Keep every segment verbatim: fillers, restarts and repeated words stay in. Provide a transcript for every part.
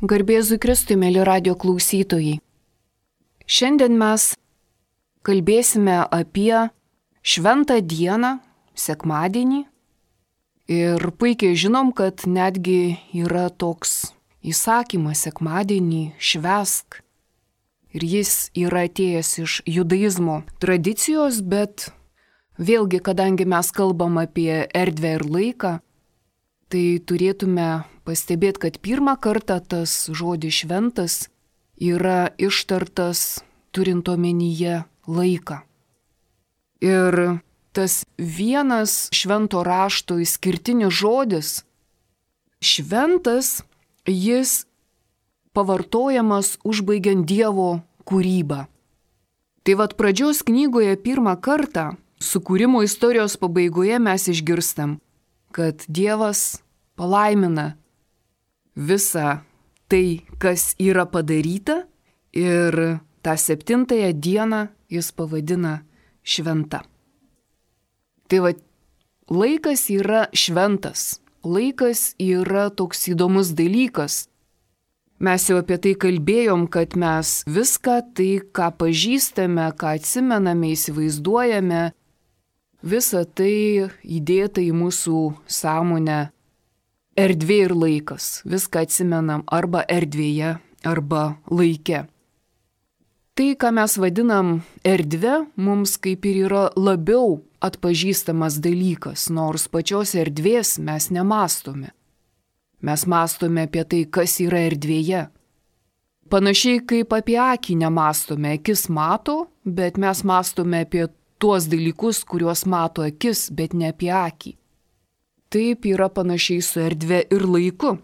Garbėzui Kristui, mėly radio klausytojai. Šiandien mes kalbėsime apie šventą dieną, sekmadienį. Ir puikiai žinom, kad netgi yra toks įsakymas sekmadienį švęsk. Ir jis yra atėjęs iš judaizmo tradicijos, bet vėlgi, kadangi mes kalbam apie erdvę ir laiką, tai turėtume pastebėti, kad pirmą kartą tas žodis šventas yra ištartas turint omenyje laiką. Ir tas vienas švento rašto išskirtinis žodis, šventas, jis pavartojamas užbaigiant Dievo kūrybą. Tai vat pradžios knygoje pirmą kartą, sukūrimo istorijos pabaigoje mes išgirstam, kad Dievas palaimina visą tai, kas yra padaryta, ir tą septintąją dieną jis pavadina šventa. Tai va, laikas yra šventas, laikas yra toks įdomus dalykas. Mes jau apie tai kalbėjom, kad mes viską tai, ką pažįstame, ką atsimename, įsivaizduojame, visa tai įdėta į mūsų sąmonę erdvė ir laikas. Viską atsimenam arba erdvėje, arba laike. Tai, ką mes vadinam erdve, mums kaip ir yra labiau atpažįstamas dalykas, nors pačios erdvės mes nemastome. Mes mastome apie tai, kas yra erdvėje. Panašiai kaip apie akį nemastome, akis mato, bet mes mastome apie tuos dalykus, kuriuos mato akis, bet ne apie akį. Taip yra panašiai su erdvė ir laiku.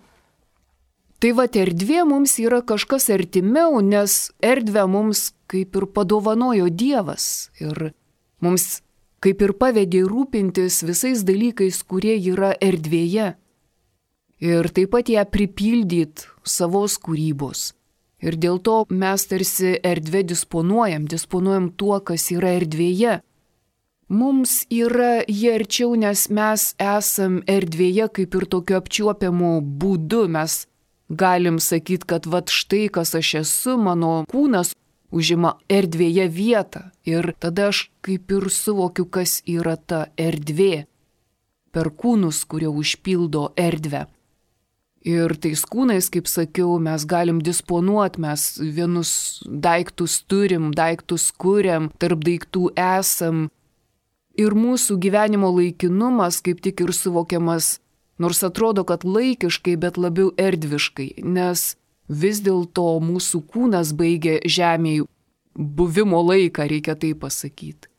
Tai va, erdvė mums yra kažkas artimiau, nes erdvę mums kaip ir padovanojo Dievas ir mums kaip ir pavedė rūpintis visais dalykais, kurie yra erdvėje. Ir taip pat ją pripildyt savos kūrybos. Ir dėl to mes tarsi erdvę disponuojam, disponuojam tuo, kas yra erdvėje. Mums yra jie arčiau, nes mes esam erdvėje kaip ir tokiu apčiuopiamu būdu. Mes galim sakyti, kad vat štai kas aš esu, mano kūnas užima erdvėje vietą. Ir tada aš kaip ir suvokiu, kas yra ta erdvė per kūnus, kurie užpildo erdvę. Ir tais kūnais, kaip sakiau, mes galim disponuoti, mes vienus daiktus turim, daiktus kuriam, tarp daiktų esam. Ir mūsų gyvenimo laikinumas kaip tik ir suvokiamas, nors atrodo, kad laikiškai, bet labiau erdviškai, nes vis dėlto mūsų kūnas baigia žemėje buvimo laiką, reikia tai pasakyti.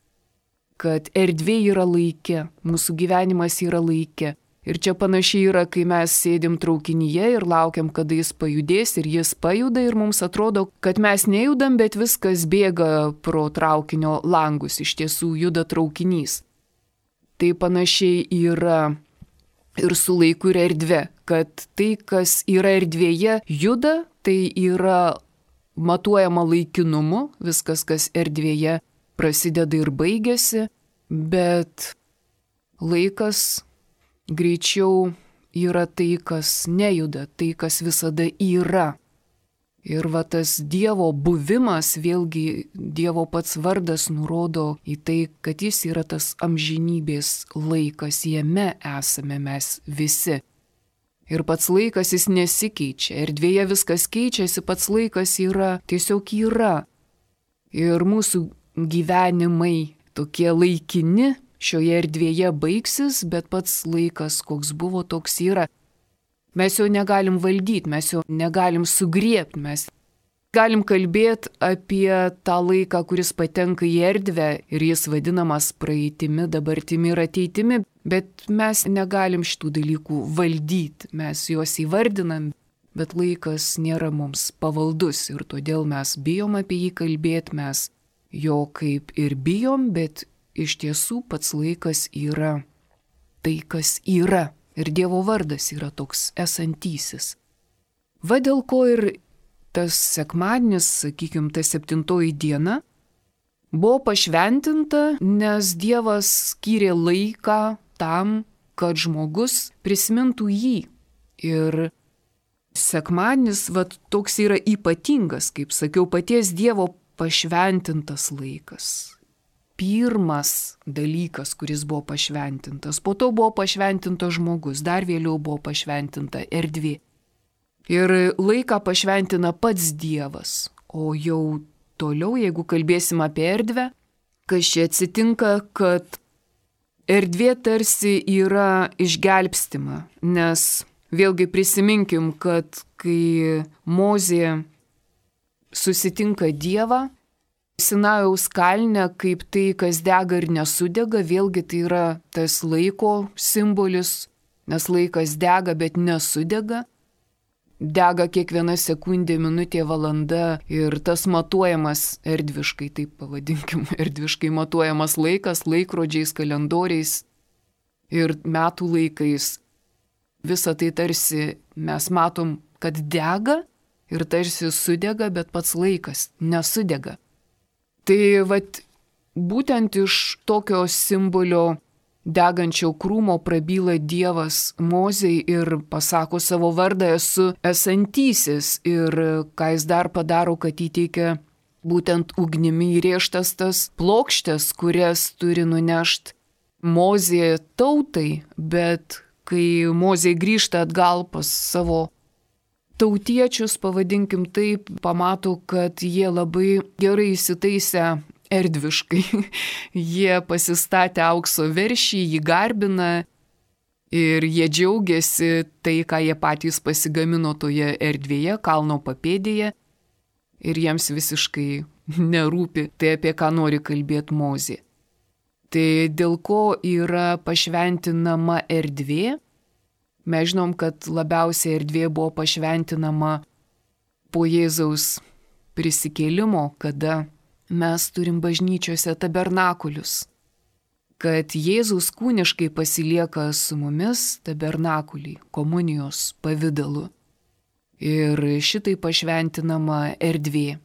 Kad erdvė yra laike, mūsų gyvenimas yra laike. Ir čia panašiai yra, kai mes sėdim traukinyje ir laukiam, kada jis pajudės, ir jis pajuda ir mums atrodo, kad mes nejudam, bet viskas bėga pro traukinio langus, iš tiesų juda traukinys. Tai panašiai yra ir su laiku ir erdve, kad tai, kas yra erdvėje, juda, tai yra matuojama laikinumu, viskas, kas erdvėje prasideda ir baigėsi, bet laikas greičiau yra tai, kas nejuda, tai, kas visada yra. Ir va tas Dievo buvimas, vėlgi Dievo pats vardas nurodo į tai, kad jis yra tas amžinybės laikas, jame esame mes visi. Ir pats laikas jis nesikeičia, erdvėje viskas keičiasi, pats laikas yra, tiesiog yra. Ir mūsų gyvenimai tokie laikini, šioje erdvėje baigsis, bet pats laikas, koks buvo, toks yra. Mes jo negalim valdyti, mes jo negalim sugriebti, mes galim kalbėti apie tą laiką, kuris patenka į erdvę ir jis vadinamas praeitimi, dabartimi ir ateitimi, bet mes negalim šitų dalykų valdyti, mes juos įvardinam, bet laikas nėra mums pavaldus ir todėl mes bijom apie jį kalbėti, mes jo kaip ir bijom, bet iš tiesų pats laikas yra tai, kas yra. Ir Dievo vardas yra toks esantysis. Va dėl ko ir tas sekmadienis, sakykime, ta septintoji diena, buvo pašventinta, nes Dievas skyrė laiką tam, kad žmogus prisimintų jį. Ir sekmadienis va toks yra ypatingas, kaip sakiau, paties Dievo pašventintas laikas. Pirmas dalykas, kuris buvo pašventintas. Po to buvo pašventintas žmogus, dar vėliau buvo pašventinta erdvė. Ir laiką pašventina pats Dievas. O jau toliau, jeigu kalbėsim apie erdvę, kas čia atsitinka, kad erdvė tarsi yra išgelbstima. Nes vėlgi prisiminkim, kad kai Mozė susitinka Dievą, Sinajaus kalne, kaip tai, kas dega ir nesudega, vėlgi tai yra tas laiko simbolis, nes laikas dega, bet nesudega. Dega kiekviena sekundė, minutė, valanda ir tas matuojamas erdviškai, taip pavadinkim, erdviškai matuojamas laikas, laikrodžiais, kalendoriais ir metų laikais. Visą tai tarsi mes matom, kad dega ir tarsi sudega, bet pats laikas nesudega. Tai vat, būtent iš tokio simbolio degančio krūmo prabyla Dievas Mozei ir pasako savo vardą, esu esantysis. Ir ką jis dar padaro, kad įteikia būtent ugnimi įrėžtas tas plokštės, kurias turi nunešti Mozė tautai, bet kai Mozė grįžta atgal pas savo tautiečius, pavadinkim taip, pamato, kad jie labai gerai įsitaisę erdviškai. Jie pasistatė aukso veršį, jį garbina ir jie džiaugiasi tai, ką jie patys pasigamino toje erdvėje, kalno papėdėje. Ir jiems visiškai nerūpi tai, apie ką nori kalbėti Mozė. Tai dėl ko yra pašventinama erdvė? Mes žinom, kad labiausiai erdvė buvo pašventinama po Jėzaus prisikėlimo, kada mes turim bažnyčiose tabernakulius. Kad Jėzus kūniškai pasilieka su mumis tabernakulį, komunijos pavidalu. Ir šitai pašventinama erdvė.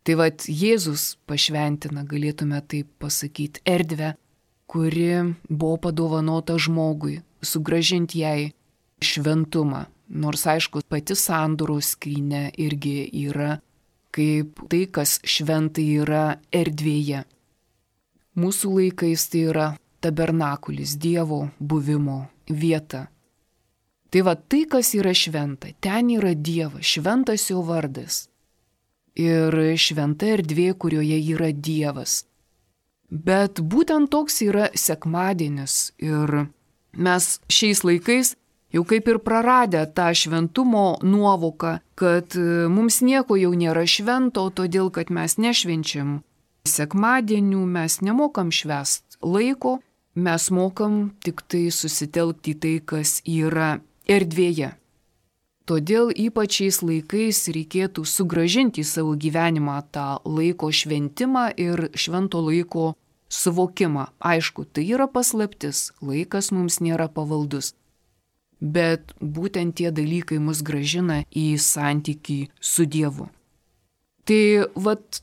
Tai vat Jėzus pašventina, galėtume taip pasakyti, erdvę, kuri buvo padovanota žmogui, sugrąžinti jai šventumą. Nors aišku, pati sandoros skrynia irgi yra kaip tai, kas šventai yra erdvėje. Mūsų laikais tai yra tabernakulis, Dievo buvimo vieta. Tai va tai, kas yra šventa, ten yra Dievas, šventas jo vardas. Ir šventa erdvė, kurioje yra Dievas. Bet būtent toks yra sekmadienis ir mes šiais laikais jau kaip ir praradę tą šventumo nuovoką, kad mums nieko jau nėra švento, todėl kad mes nešvenčiam sekmadienių, mes nemokam švęst laiko, mes mokam tik tai susitelkti tai, kas yra erdvėje. Todėl ypač šiais laikais reikėtų sugrąžinti į savo gyvenimą tą laiko šventimą ir švento laiko suvokimą. Aišku, tai yra paslaptis, laikas mums nėra pavaldus. Bet būtent tie dalykai mus grąžina į santykį su Dievu. Tai vat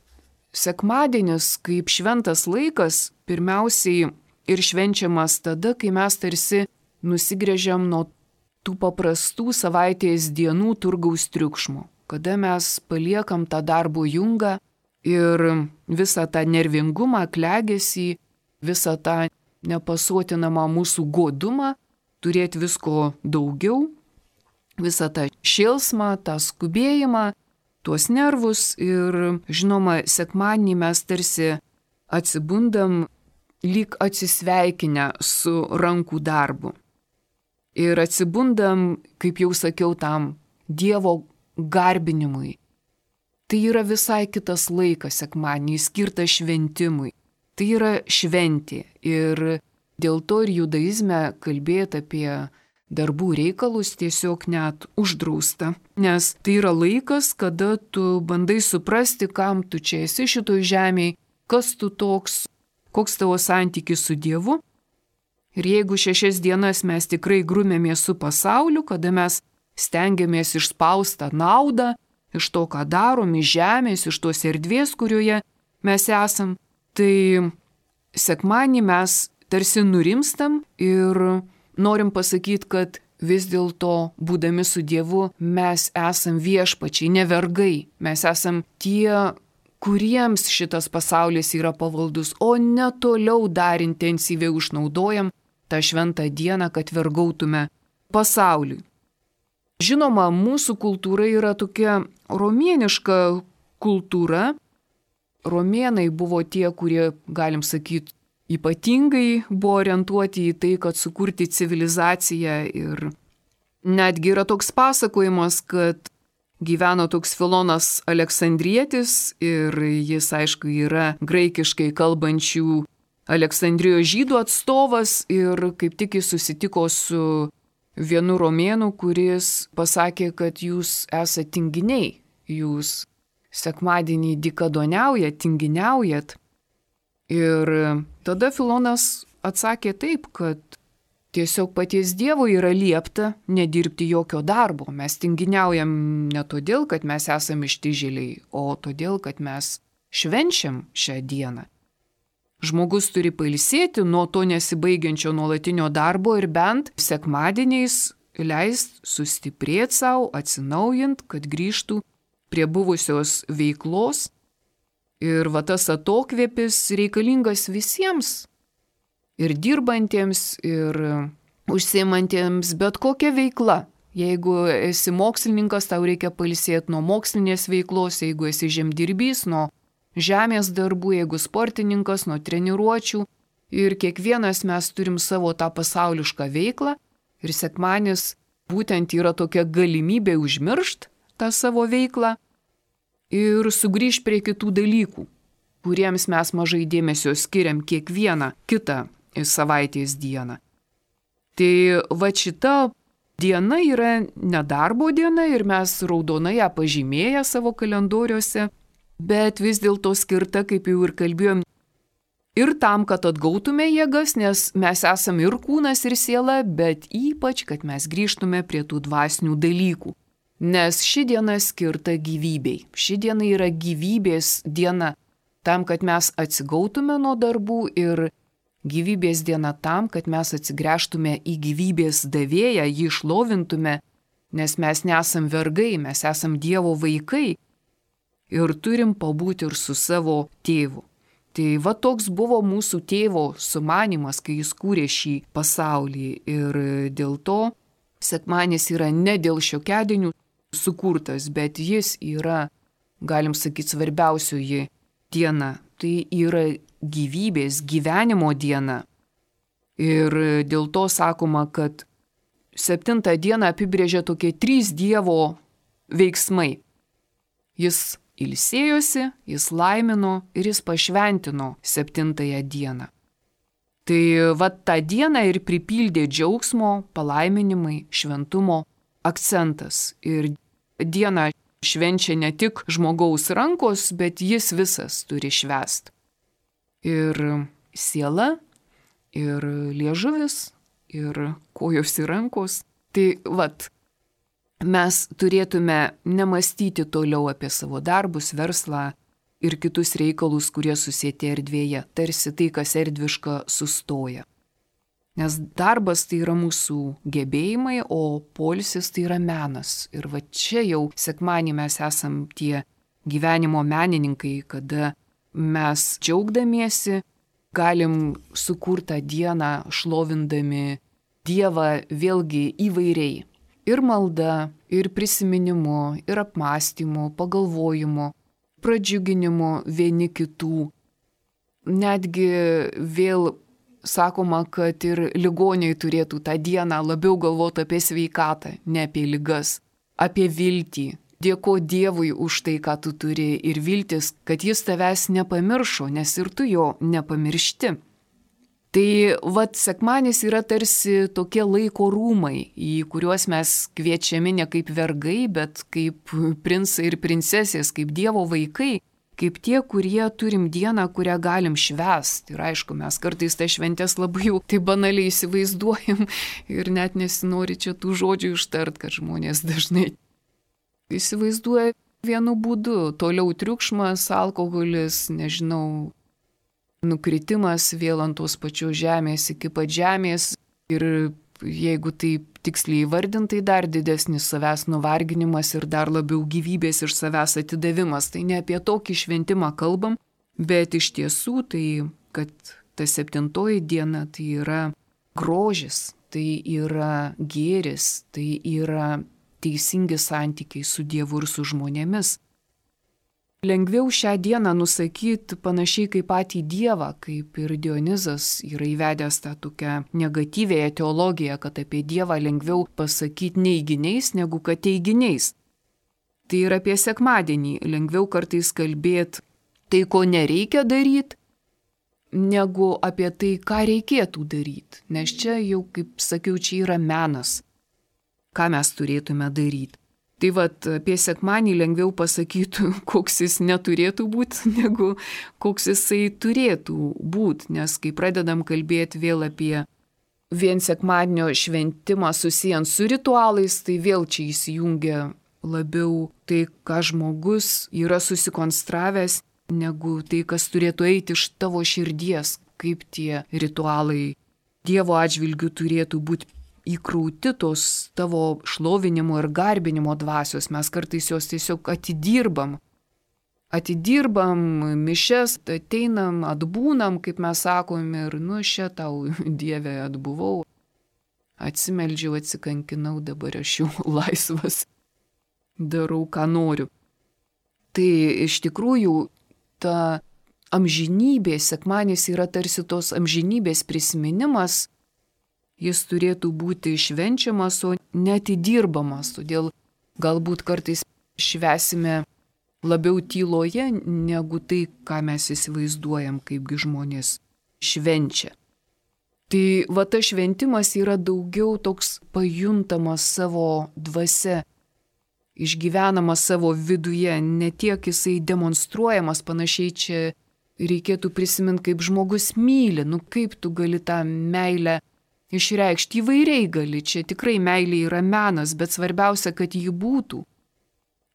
sekmadienis kaip šventas laikas pirmiausiai ir švenčiamas tada, kai mes tarsi nusigręžiam nuo tų paprastų savaitės dienų turgaus triukšmo, kada mes paliekam tą darbo jungą ir visą tą nervingumą, klegesį, visą tą nepasuotinamą mūsų godumą, turėti visko daugiau, visą tą šėlsmą, tą skubėjimą, tuos nervus ir, žinoma, sekmadienį mes tarsi atsibundam lyg atsisveikinę su rankų darbu. Ir atsibundam, kaip jau sakiau, tam Dievo garbinimui. Tai yra visai kitas laikas sekmadienį, skirtas šventimui. Tai yra šventė ir dėl to ir judaizme kalbėti apie darbų reikalus tiesiog net uždrausta. Nes tai yra laikas, kada tu bandai suprasti, kam tu čia esi šitoj žemėje, kas tu toks, koks tavo santykis su Dievu. Ir jeigu šešias dienas mes tikrai grumėmės su pasauliu, kada mes stengiamės išspaustą naudą iš to, ką darom, iš žemės, iš tos erdvės, kurioje mes esam, tai sekmadienį mes tarsi nurimstam ir norim pasakyti, kad vis dėlto, būdami su Dievu, mes esam viešpačiai, ne vergai. Mes esam tie, kuriems šitas pasaulis yra pavaldus, o ne toliau dar intensyviai išnaudojam tą šventą dieną, kad vergautume pasauliui. Žinoma, mūsų kultūra yra tokia romėniška kultūra. Romėnai buvo tie, kurie, galim sakyti, ypatingai buvo orientuoti į tai, kad sukurti civilizaciją, ir netgi yra toks pasakojimas, kad gyveno toks Filonas Aleksandrietis ir jis, aišku, yra graikiškai kalbančių Aleksandrijos žydų atstovas ir kaip tik jis susitiko su vienu romėnu, kuris pasakė, kad jūs esate tinginiai, jūs sekmadienį dykadoniaujat, tinginiaujat. Ir tada Filonas atsakė taip, kad tiesiog paties Dievo yra liepta nedirbti jokio darbo. Mes tinginiaujam ne todėl, kad mes esame ištižėliai, o todėl, kad mes švenčiam šią dieną. Žmogus turi pailsėti nuo to nesibaigiančio nuolatinio darbo ir bent sekmadieniais leist sustiprėti savo, atsinaujint, kad grįžtų prie buvusios veiklos. Ir va tas atokvėpis reikalingas visiems, ir dirbantiems, ir užsiimantiems bet kokią veiklą. Jeigu esi mokslininkas, tau reikia pailsėti nuo mokslinės veiklos, jeigu esi žemdirbys, nuo žemės darbų, jeigu sportininkas, nuo treniruočių. Ir kiekvienas mes turim savo tą pasaulišką veiklą, ir sekmadienis būtent yra tokia galimybė užmiršti tą savo veiklą ir sugrįžti prie kitų dalykų, kuriems mes mažai dėmesio skiriam kiekvieną kitą savaitės dieną. Tai va šita diena yra nedarbo diena ir mes raudonai ją pažymėję savo kalendoriuose, bet vis dėlto skirta, kaip jau ir kalbėjom, ir tam, kad atgautume jėgas, nes mes esame ir kūnas, ir siela, bet ypač, kad mes grįžtume prie tų dvasinių dalykų. Nes ši diena skirta gyvybei. Ši diena yra gyvybės diena tam, kad mes atsigautume nuo darbų, ir gyvybės diena tam, kad mes atsigręžtume į gyvybės davėją, jį šlovintume, nes mes nesam vergai, mes esam Dievo vaikai ir turim pabūti ir su savo tėvu. Tai va toks buvo mūsų tėvo sumanymas, kai jis kūrė šį pasaulį, ir dėl to sekmadienis yra ne dėl šiokiadienių sukurtas, bet jis yra, galim sakyti, svarbiausioji diena. Tai yra gyvybės, gyvenimo diena. Ir dėl to sakoma, kad septintą dieną apibrėžia tokie trys Dievo veiksmai. Jis ilsėjosi, jis laimino ir jis pašventino septintąją dieną. Tai va tą dieną ir pripildė džiaugsmo, palaiminimai, šventumo akcentas. Ir dieną švenčia ne tik žmogaus rankos, bet jis visas turi švęst. Ir siela, ir liežuvis, ir kojos ir rankos. Tai vat, mes turėtume nemastyti toliau apie savo darbus, verslą ir kitus reikalus, kurie susieti erdvėje, tarsi tai, kas erdviška, sustoja. Nes darbas tai yra mūsų gebėjimai, o poilsis tai yra menas. Ir va čia jau sekmadienį mes esam tie gyvenimo menininkai, kada mes džiaugdamiesi galim sukurtą dieną šlovindami Dievą vėlgi įvairiai. Ir malda, ir prisiminimu, ir apmąstymu, pagalvojimu, pradžiuginimu vieni kitų. Netgi vėl sakoma, kad ir ligoniai turėtų tą dieną labiau galvoti apie sveikatą, ne apie ligas, apie viltį. Dėko Dievui už tai, ką tu turi, ir viltis, kad jis tavęs nepamiršo, nes ir tu jo nepamiršti. Tai vat sekmadienis yra tarsi tokie laiko rūmai, į kuriuos mes kviečiami ne kaip vergai, bet kaip princai ir princesės, kaip Dievo vaikai, kaip tie, kurie turim dieną, kurią galim švęsti. Ir aišku, mes kartais tą šventės labai jau tai banaliai įsivaizduojam ir net nesinori čia tų žodžių ištart, kad žmonės dažnai įsivaizduoja vienu būdu. Toliau triukšmas, alkoholis, nežinau, nukritimas vėl ant tos pačios žemės iki pat žemės ir jeigu taip tiksliai įvardintai, dar didesnis savęs nuvarginimas ir dar labiau gyvybės iš savęs atidavimas. Tai ne apie tokį šventimą kalbam, bet iš tiesų tai, kad ta septintoji diena tai yra grožis, tai yra gėris, tai yra teisingi santykiai su Dievu ir su žmonėmis. Lengviau šią dieną nusakyti panašiai kaip patį Dievą, kaip ir Dionizas yra įvedęs tą tokią negatyvėją teologiją, kad apie Dievą lengviau pasakyti neiginiais negu kad teiginiais. Tai ir apie sekmadienį lengviau kartais kalbėti tai, ko nereikia daryti, negu apie tai, ką reikėtų daryti. Nes čia jau, kaip sakiau, čia yra menas, ką mes turėtume daryti. Tai vat apie sekmanį lengviau pasakyti, koks jis neturėtų būti, negu koks jisai turėtų būti. Nes kai pradedam kalbėti vėl apie vien sekmadienio šventimą susijant su ritualais, tai vėl čia įsijungia labiau tai, ką žmogus yra susikonstravęs, negu tai, kas turėtų eiti iš tavo širdies, kaip tie ritualai Dievo atžvilgių turėtų būti įkrauti tos tavo šlovinimo ir garbinimo dvasios. Mes kartais jos tiesiog atidirbam. Atidirbam mišes, ateinam, atbūnam, kaip mes sakom, ir nu šia tau, Dieve, atbuvau, atsimeldžiau, atsikankinau, dabar aš jau laisvas, darau, ką noriu. Tai iš tikrųjų ta amžinybė, sekmadienis yra tarsi tos amžinybės prisiminimas. Jis turėtų būti švenčiamas, o netidirbamas. Todėl galbūt kartais švęsime labiau tyloje, negu tai, ką mes įsivaizduojam, kaipgi žmonės švenčia. Tai va tas šventimas yra daugiau toks pajuntamas savo dvasia, išgyvenamas savo viduje, ne tiek jisai demonstruojamas, panašiai čia reikėtų prisiminti, kaip žmogus myli, nu kaip tu gali tą meilę išreikšti įvairiai gali, čia tikrai meilė yra menas, bet svarbiausia, kad ji būtų,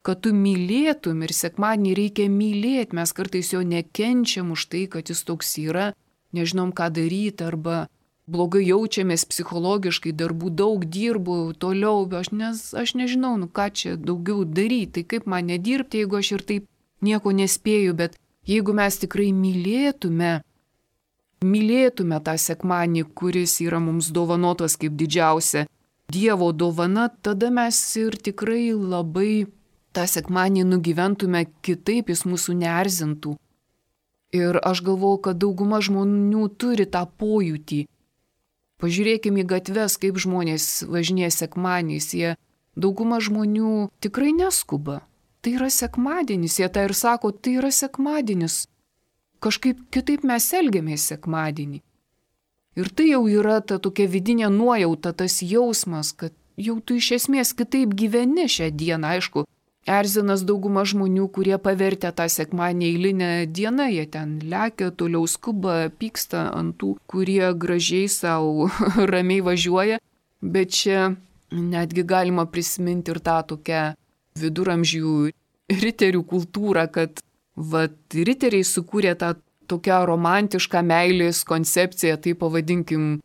kad tu mylėtum ir sekmadienį reikia mylėti, mes kartais jo nekenčiam už tai, kad jis toks yra, nežinom ką daryti arba blogai jaučiamės psichologiškai, darbų daug dirbu, toliau, aš, nes, aš nežinau, nu ką čia daugiau daryti, tai kaip man nedirbti, jeigu aš ir taip nieko nespėju, bet jeigu mes tikrai mylėtume, Mylėtume tą sekmadienį, kuris yra mums dovanotas kaip didžiausia Dievo dovana, tada mes ir tikrai labai tą sekmadienį nugyventume kitaip, jis mūsų neerzintų. Ir aš galvoju, kad dauguma žmonių turi tą pojūtį. Pažiūrėkime į gatves, kaip žmonės važinėja sekmadieniais, jie dauguma žmonių tikrai neskuba. Tai yra sekmadienis, jie tą ir sako, tai yra sekmadienis. Kažkaip kitaip mes elgiamės sekmadienį. Ir tai jau yra ta tokia vidinė nuojauta, tas jausmas, kad jau tu iš esmės kitaip gyveni šią dieną. Aišku, erzinas dauguma žmonių, kurie pavertė tą sekmadienį eilinę dieną, jie ten lekia, toliau skuba, pyksta ant tų, kurie gražiai savo ramiai važiuoja. Bet čia netgi galima prisiminti ir tą tokią viduramžių riterių kultūrą, kad vat riteriai sukūrė tą tokią romantišką meilės koncepciją, tai pavadinkim,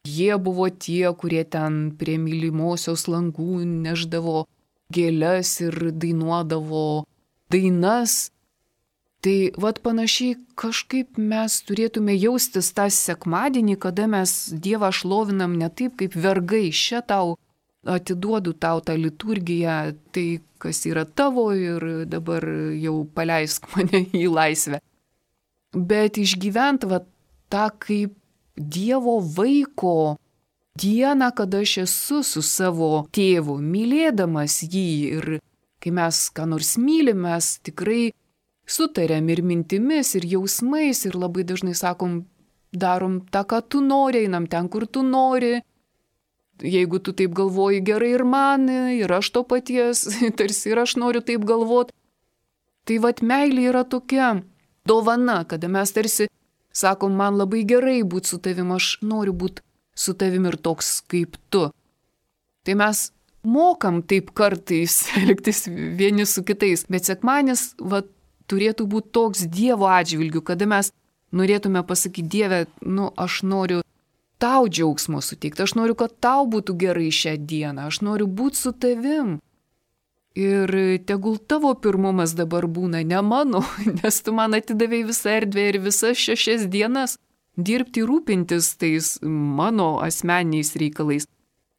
jie buvo tie, kurie ten prie mylimosios langų neždavo gėles ir dainuodavo dainas. Tai vat panašiai kažkaip mes turėtume jaustis tą sekmadienį, kada mes Dievą šlovinam ne taip kaip vergai, šia tau atiduodu tau tą liturgiją, tai kas yra tavo ir dabar jau paleisk mane į laisvę. Bet išgyvent va tą kaip Dievo vaiko dieną, kada aš esu su savo tėvu, mylėdamas jį ir kai mes ką nors mylim, mes tikrai sutariam ir mintimis, ir jausmais ir labai dažnai sakom, darom tą, ką tu nori, einam ten, kur tu nori. Jeigu tu taip galvoji gerai ir man, ir aš to paties, tarsi ir aš noriu taip galvoti. Tai vat meilė yra tokia dovana, kada mes tarsi sakom, man labai gerai būti su tavim, aš noriu būti su tavim ir toks kaip tu. Tai mes mokam taip kartais elgtis vieni su kitais, bet sekmadienis vat turėtų būti toks Dievo atžvilgiu, kada mes norėtume pasakyti, Dieve, nu aš noriu tau džiaugsmo suteikti, aš noriu, kad tau būtų gerai šią dieną, aš noriu būti su tavim. Ir tegul tavo pirmumas dabar būna, ne mano, nes tu man atidavėjai visą erdvę ir visas šešias dienas dirbti rūpintis tais mano asmeniniais reikalais.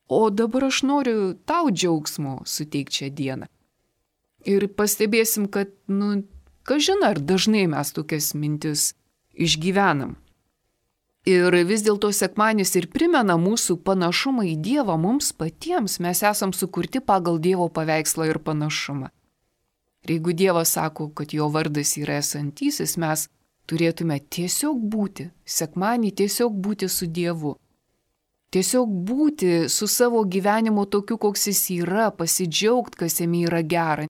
O dabar aš noriu tau džiaugsmo suteikti šią dieną. Ir pastebėsim, kad, nu, kažin ar dažnai mes tokias mintis išgyvenam. Ir vis dėlto sekmadienis ir primena mūsų panašumą į Dievą mums patiems. Mes esam sukurti pagal Dievo paveikslą ir panašumą. Ir jeigu Dievas sako, kad jo vardas yra esantysis, mes turėtume tiesiog būti, sekmadienį tiesiog būti su Dievu. Tiesiog būti su savo gyvenimu tokiu, koks jis yra, pasidžiaugti, kas jame yra gera.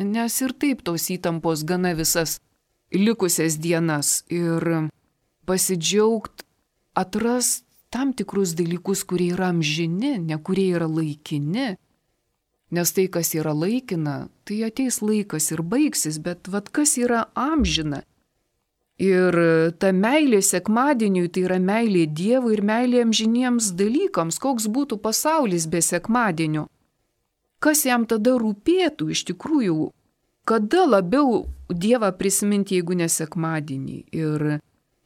Nes ir taip tos įtampos gana visas likusias dienas ir pasidžiaugt, atras tam tikrus dalykus, kurie yra amžini, ne kurie yra laikini. Nes tai, kas yra laikina, tai ateis laikas ir baigsis, bet vat kas yra amžina. Ir ta meilė sekmadieniui, tai yra meilė Dievui ir meilė amžiniems dalykams, koks būtų pasaulis be sekmadienio. Kas jam tada rūpėtų iš tikrųjų, kada labiau Dievą prisiminti, jeigu ne sekmadienį. Ir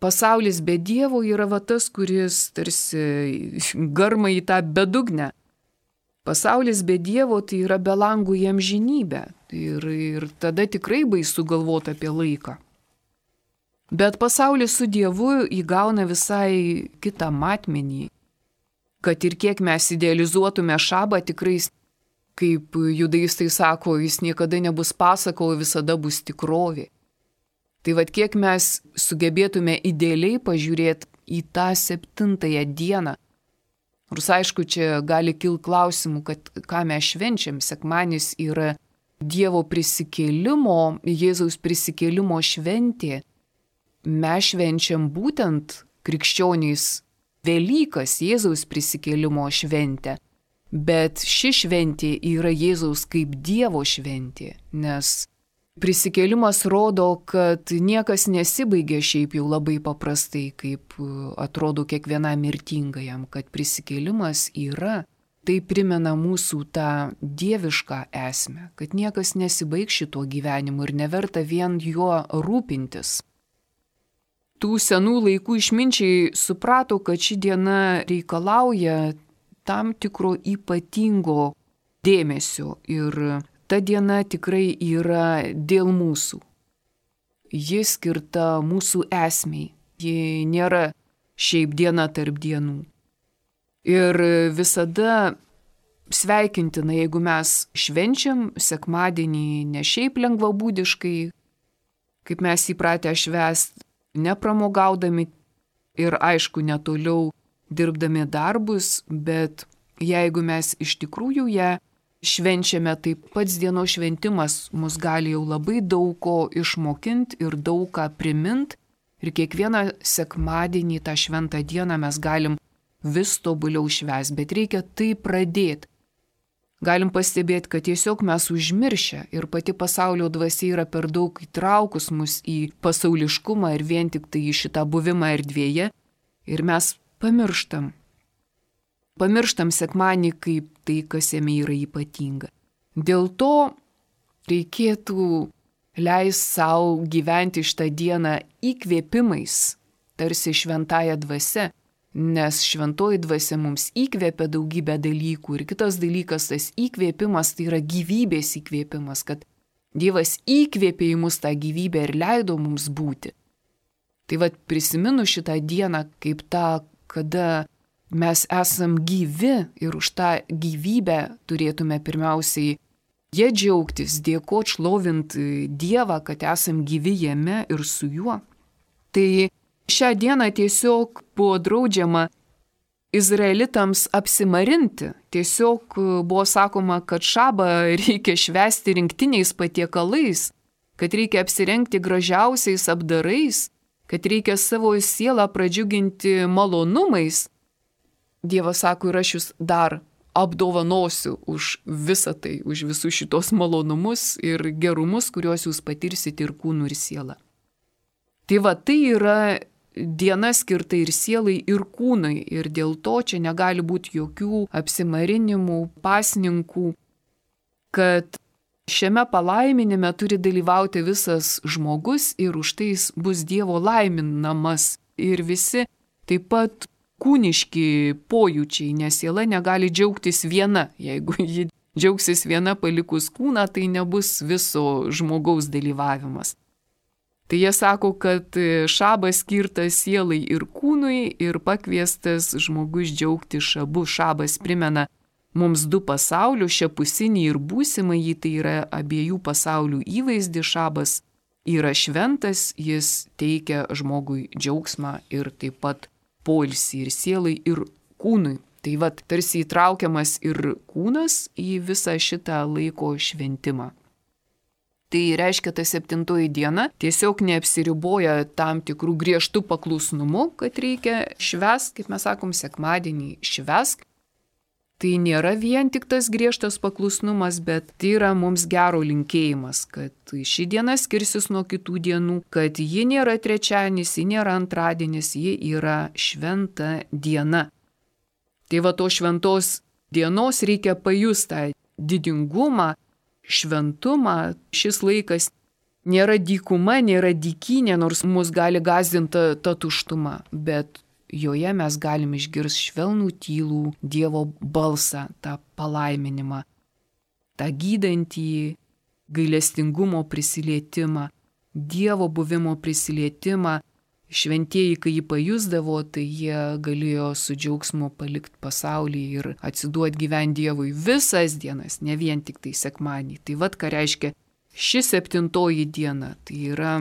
pasaulis be Dievo yra va tas, kuris tarsi garma į tą bedugnę. Pasaulis be Dievo tai yra be langų į amžinybę. Ir, ir tada tikrai baisu galvoti apie laiką. Bet pasaulis su Dievu įgauna visai kitą matmenį. Kad ir kiek mes idealizuotume šabą, tikrai, kaip judaistai sako, jis niekada nebus pasaka, o visada bus tikrovė. Tai vad kiek mes sugebėtume idealiai pažiūrėti į tą septintąją dieną. Nors aišku, čia gali kilti klausimų, kad ką mes švenčiam. Sekmadienis yra Dievo prisikėlimo, Jėzaus prisikėlimo šventė. Mes švenčiam būtent krikščionys Velykas, Jėzaus prisikėlimo šventę. Bet ši šventė yra Jėzaus kaip Dievo šventė, nes prisikėlimas rodo, kad niekas nesibaigia šiaip jau labai paprastai, kaip atrodo kiekvienam mirtingajam, kad prisikėlimas yra, tai primena mūsų tą dievišką esmę, kad niekas nesibaigs šito gyvenimu ir neverta vien juo rūpintis. Tų senų laikų išminčiai suprato, kad ši diena reikalauja tam tikro ypatingo dėmesio ir ta diena tikrai yra dėl mūsų. Ji skirta mūsų esmei. Ji nėra šiaip diena tarp dienų. Ir visada sveikintina, jeigu mes švenčiam sekmadienį ne šiaip lengvabūdiškai, kaip mes įpratę švęsti, nepramogaudami ir aišku netoliau dirbdami darbus, bet jeigu mes iš tikrųjų ją švenčiame, tai pats dienos šventimas mus gali jau labai daug ko išmokinti ir daug ką primint. Ir kiekvieną sekmadienį tą šventą dieną mes galim vis tobuliau švęsti, bet reikia tai pradėti. Galim pastebėti, kad tiesiog mes užmiršę ir pati pasaulio dvasia yra per daug įtraukus mus į pasauliškumą ir vien tik tai į šitą buvimą erdvėje ir mes pamirštam. Pamirštam sekmadienį kaip tai, kas jame yra ypatinga. Dėl to reikėtų leisti savo gyventi šitą dieną įkvėpimais, tarsi šventąja dvasia, nes šventoji dvasia mums įkvėpia daugybę dalykų. Ir kitas dalykas, tas įkvėpimas, tai yra gyvybės įkvėpimas, kad Dievas įkvėpė į mus tą gyvybę ir leido mums būti. Tai vad prisiminu šitą dieną kaip tą, kada mes esam gyvi ir už tą gyvybę turėtume pirmiausiai jie džiaugtis, dėkot, šlovint Dievą, kad esam gyvi jame ir su juo. Tai šią dieną tiesiog buvo draudžiama izraelitams apsimarinti. Tiesiog buvo sakoma, kad šabą reikia švęsti rinktiniais patiekalais, kad reikia apsirengti gražiausiais apdarais, kad reikia savo sielą pradžiuginti malonumais. Dievas sako, ir aš jūs dar apdovanosiu už visą tai, už visus šitos malonumus ir gerumus, kuriuos jūs patirsite ir kūnų ir sielą. Tai va, tai yra diena skirta ir sielai, ir kūnai, ir dėl to čia negali būti jokių apsimarinimų, pasninkų, kad šiame palaiminime turi dalyvauti visas žmogus ir už tai jis bus Dievo laiminamas ir visi taip pat kūniški pojūčiai, nes siela negali džiaugtis viena. Jeigu ji džiaugsis viena palikus kūną, tai nebus viso žmogaus dalyvavimas. Tai jie sako, kad šabas skirtas sielai ir kūnui ir pakviestas žmogus džiaugti šabu. Šabas primena mums du pasaulius, šiapusinį ir būsimąjį, tai yra abiejų pasaulių įvaizdį. Šabas yra šventas, jis teikia žmogui džiaugsmą ir taip pat poilsį ir sielai, ir kūnui. Tai vat tarsi įtraukiamas ir kūnas į visą šitą laiko šventimą. Tai reiškia, ta septintoji diena tiesiog neapsiriboja tam tikrų griežtų paklusnumų, kad reikia švęsk, kaip mes sakom, sekmadienį švęsk. Tai nėra vien tik tas griežtas paklusnumas, bet tai yra mums gero linkėjimas, kad ši diena skirsis nuo kitų dienų, kad ji nėra trečiadienis, ji nėra antradienis, ji yra šventa diena. Tai va to šventos dienos reikia pajustą didingumą, šventumą. Šis laikas nėra dykuma, nėra dykynė, nors mus gali gąsdinti ta tuštuma, bet joje mes galim išgirsti švelnų tylų Dievo balsą, tą palaiminimą, tą gydantį gailestingumo prisilietimą, Dievo buvimo prisilietimą. Šventieji, kai jį pajusdavo, tai jie galėjo su džiaugsmu palikti pasaulį ir atsiduoti gyventi Dievui visas dienas, ne vien tik tai sekmadienį. Tai vad, ką reiškia ši septintoji diena. Tai yra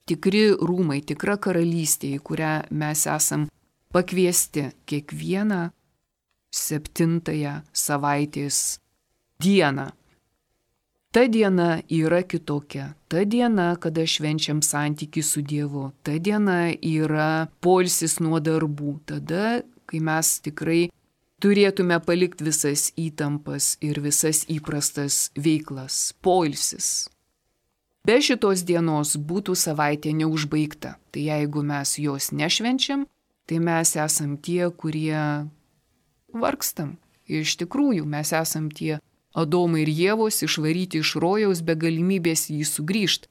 tikri rūmai, tikra karalystė, į kurią mes esam pakviesti kiekvieną septintąją savaitės dieną. Ta diena yra kitokia. Ta diena, kada švenčiam santykį su Dievu. Ta diena yra poilsis nuo darbų. Tada, kai mes tikrai turėtume palikti visas įtampas ir visas įprastas veiklas. Poilsis. Be šitos dienos būtų savaitė neužbaigta. Tai jeigu mes jos nešvenčiam, tai mes esam tie, kurie vargstam. Ir iš tikrųjų mes esam tie Adomai ir Ievos išvaryti iš rojaus be galimybės jį sugrįžti.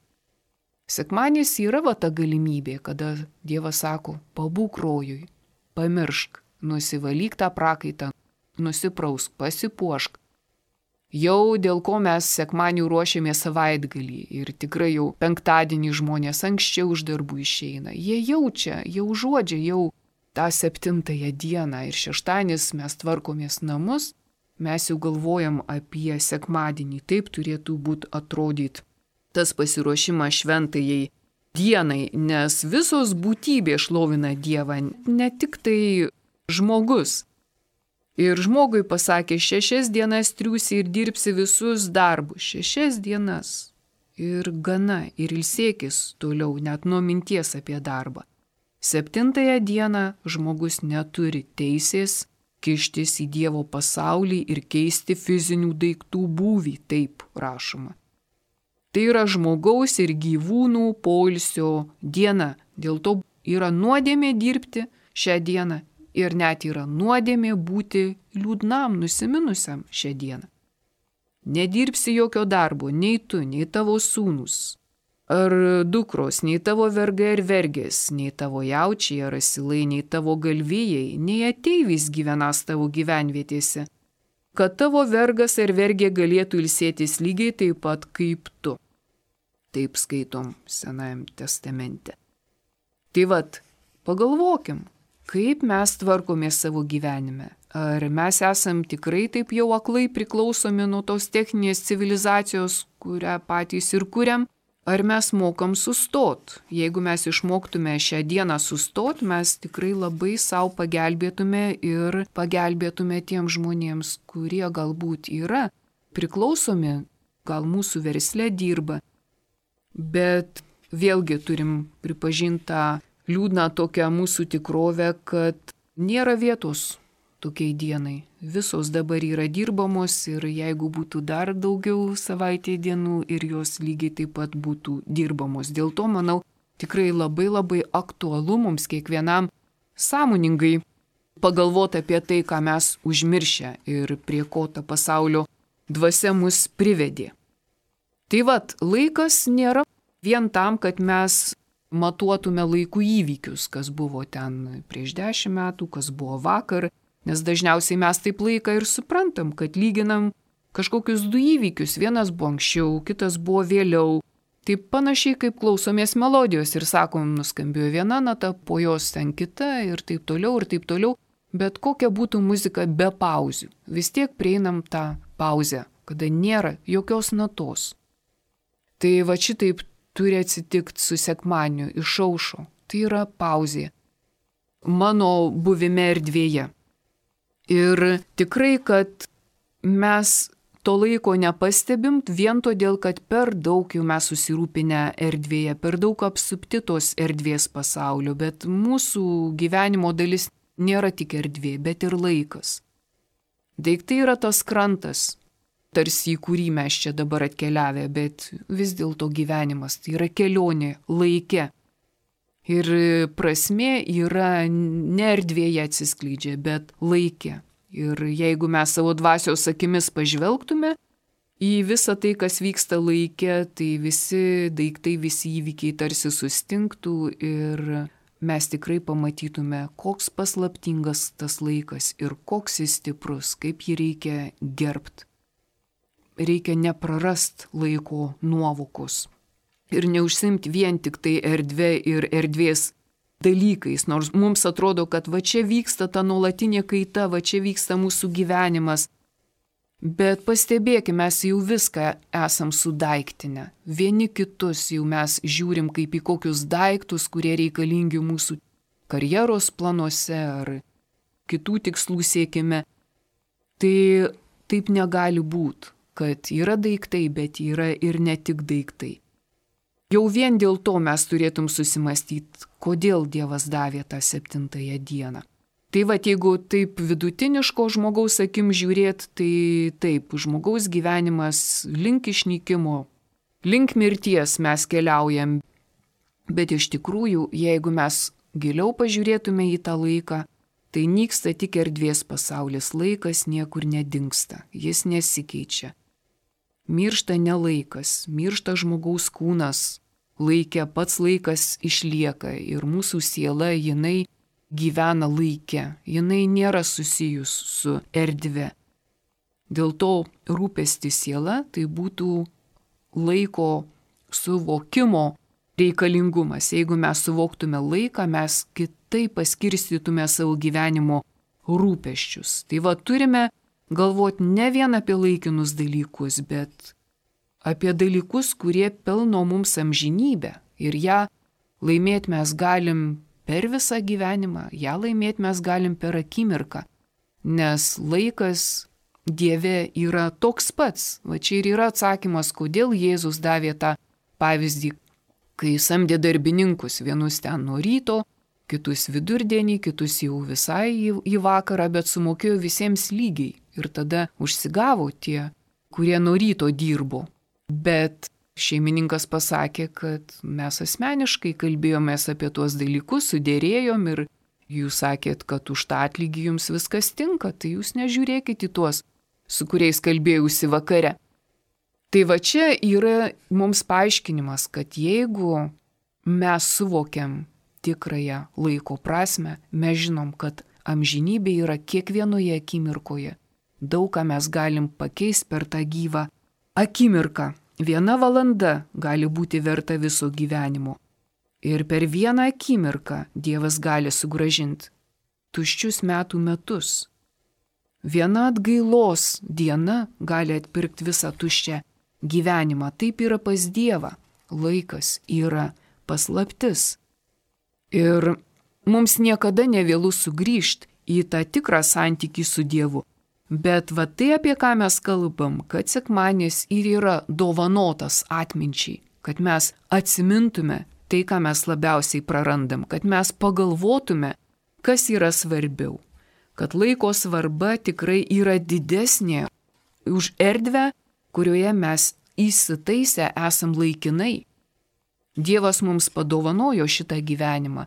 Sekmadienis yra va ta galimybė, kada Dievas sako, pabūk rojui, pamiršk, nusivalyk tą prakaitą, nusiprausk, pasipuošk. Jau dėl ko mes sekmadienį ruošiamės savaitgalį ir tikrai jau penktadienį žmonės anksčiau iš darbų išeina. Jie jaučia, jau užuodžia jau tą septintąją dieną ir šeštadienis mes tvarkomės namus. Mes jau galvojam apie sekmadienį, taip turėtų būti atrodyti tas pasiruošimas šventajai dienai, nes visos būtybės šlovina Dievą, ne tik tai žmogus. Ir žmogui pasakė, šešias dienas triūsi ir dirbsi visus darbus, šešias dienas ir gana, ir ilsėkis toliau, net nuo minties apie darbą. Septintąją dieną žmogus neturi teisės kištis į Dievo pasaulį ir keisti fizinių daiktų būvį, taip rašoma. Tai yra žmogaus ir gyvūnų poilsio diena, dėl to yra nuodėmė dirbti šią dieną ir net yra nuodėmė būti liūdnam, nusiminusiam šią dieną. Nedirbsi jokio darbo, nei tu, nei tavo sūnus, ar dukros, nei tavo vergai ar vergės, nei tavo jaučiai ar asilai, nei tavo galvijai, nei ateivis gyvenas tavo gyvenvietėse, kad tavo vergas ar vergė galėtų ilsėtis lygiai taip pat kaip tu. Taip skaitom Senajame testamente. Tai vat, pagalvokim, kaip mes tvarkomės savo gyvenime. Ar mes esam tikrai taip jau aklai priklausomi nuo tos techninės civilizacijos, kurią patys ir kuriam? Ar mes mokam sustot? Jeigu mes išmoktume šią dieną sustot, mes tikrai labai savo pagelbėtume ir pagelbėtume tiem žmonėms, kurie galbūt yra priklausomi, gal mūsų versle dirba. Bet vėlgi turim pripažinti tą liūdną tokią mūsų tikrovę, kad nėra vietos tokiai dienai. Visos dabar yra dirbamos ir jeigu būtų dar daugiau savaitėje dienų ir jos lygiai taip pat būtų dirbamos. Dėl to, manau, tikrai labai labai aktualu mums kiekvienam sąmoningai pagalvoti apie tai, ką mes užmiršę ir prie ko ta pasaulio dvasia mus privedė. Tai vat, laikas nėra vien tam, kad mes matuotume laikų įvykius, kas buvo ten prieš dešimt metų, kas buvo vakar, nes dažniausiai mes taip laiką ir suprantam, kad lyginam kažkokius du įvykius, vienas buvo anksčiau, kitas buvo vėliau. Taip panašiai kaip klausomės melodijos ir sakom, nuskambėjo viena nata, po jos ten kita ir taip toliau ir taip toliau, bet kokia būtų muzika be pauzių, vis tiek prieinam tą pauzę, kada nėra jokios natos. Tai va šitaip turi atsitikti su sekmadieniu, išaušo, tai yra pauzė mano buvime erdvėje. Ir tikrai, kad mes to laiko nepastebim vien todėl, kad per daug jau mes susirūpinę erdvėje, per daug apsupti tos erdvės pasaulio, bet mūsų gyvenimo dalis nėra tik erdvė, bet ir laikas. Daiktai yra tas krantas, tarsi į kurį mes čia dabar atkeliavę, bet vis dėlto gyvenimas, tai yra kelionė laike. Ir prasmė yra ne erdvėje atsiskleidžia, bet laike. Ir jeigu mes savo dvasios akimis pažvelgtume į visą tai, kas vyksta laike, tai visi daiktai, visi įvykiai tarsi sustingtų ir mes tikrai pamatytume, koks paslaptingas tas laikas ir koks jis stiprus, kaip jį reikia gerbti. Reikia neprarast laiko nuovokos ir neužsimti vien tik tai erdvė ir erdvės dalykais, nors mums atrodo, kad va čia vyksta ta nuolatinė kaita, va čia vyksta mūsų gyvenimas. Bet pastebėkime, mes jau viską esam sudaiktinę. Vieni kitus jau mes žiūrim kaip į kokius daiktus, kurie reikalingi mūsų karjeros planuose ar kitų tikslų siekime. Tai taip negali būti, kad yra daiktai, bet yra ir ne tik daiktai. Jau vien dėl to mes turėtum susimastyti, kodėl Dievas davė tą septintąją dieną. Tai va, jeigu taip vidutiniško žmogaus akim žiūrėt, tai taip, žmogaus gyvenimas link išnykimo, link mirties mes keliaujam. Bet iš tikrųjų, jeigu mes giliau pažiūrėtume į tą laiką, tai nyksta tik erdvės pasaulis, laikas niekur nedingsta, jis nesikeičia. Miršta ne laikas, miršta žmogaus kūnas, laike pats laikas išlieka ir mūsų siela, jinai gyvena laike, jinai nėra susijus su erdve. Dėl to rūpesti siela tai būtų laiko suvokimo reikalingumas. Jeigu mes suvoktume laiką, mes kitaip paskirstytume savo gyvenimo rūpesčius. Tai va, turime galvoti ne vien apie laikinus dalykus, bet apie dalykus, kurie pelno mums amžinybę. Ir ją laimėti mes galim per visą gyvenimą, ją laimėti mes galim per akimirką. Nes laikas Dieve yra toks pats. Va čia ir yra atsakymas, kodėl Jėzus davė tą pavyzdį, kai samdė darbininkus, vienus ten nuo ryto, kitus vidurdienį, kitus jau visai į, į vakarą, bet sumokėjo visiems lygiai. Ir tada užsigavo tie, kurie nuo ryto dirbo. Bet šeimininkas pasakė, kad mes asmeniškai kalbėjomės apie tuos dalykus, sudėrėjom ir jūs sakėt, kad už tą atlygį jums viskas tinka, tai jūs nežiūrėkit į tuos, su kuriais kalbėjausi vakare. Tai va čia yra mums paaiškinimas, kad jeigu mes suvokiam tikrąją laiko prasme, mes žinom, kad amžinybė yra kiekvienoje akimirkoje. Daug ką mes galim pakeisti per tą gyvą akimirką. Viena valanda gali būti verta viso gyvenimo. Ir per vieną akimirką Dievas gali sugrąžinti tuščius metų metus. Viena atgailos diena gali atpirkti visą tuščią gyvenimą. Taip yra pas Dievą. Laikas yra paslaptis. Ir mums niekada nevėlu sugrįžti į tą tikrą santykį su Dievu. Bet va tai, apie ką mes kalbam, kad sekmadienis ir yra dovanotas atminčiai, kad mes atsimintume tai, ką mes labiausiai prarandam, kad mes pagalvotume, kas yra svarbiau, kad laiko svarba tikrai yra didesnė už erdvę, kurioje mes įsitaisę esam laikinai. Dievas mums padovanojo šitą gyvenimą.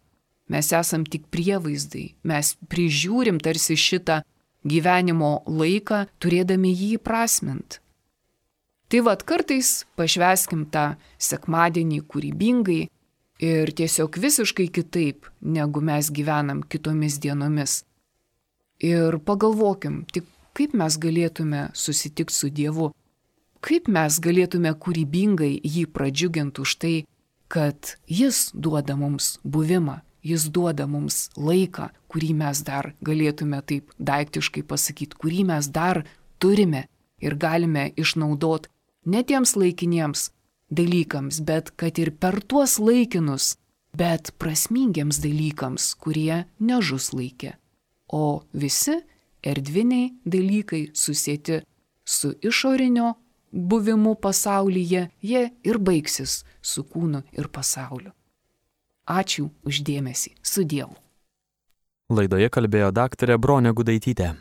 Mes esam tik prievaizdai, mes prižiūrim tarsi šitą gyvenimo laiką, turėdami jį įprasmint. Tai vad kartais pašvęskim tą sekmadienį kūrybingai ir tiesiog visiškai kitaip, negu mes gyvenam kitomis dienomis. Ir pagalvokim, tik kaip mes galėtume susitikti su Dievu, kaip mes galėtume kūrybingai jį pradžiuginti už tai, kad jis duoda mums buvimą, jis duoda mums laiką, kurį mes dar galėtume taip daiktiškai pasakyti, kurį mes dar turime ir galime išnaudoti ne tiems laikiniems dalykams, bet kad ir per tuos laikinus, bet prasmingiems dalykams, kurie nežus laikė. O visi erdviniai dalykai susieti su išorinio buvimu pasaulyje, jie ir baigsis su kūnu ir pasauliu. Ačiū už dėmesį. Su Dievu. Laidoje kalbėjo daktarė Bronė Gudaitytė.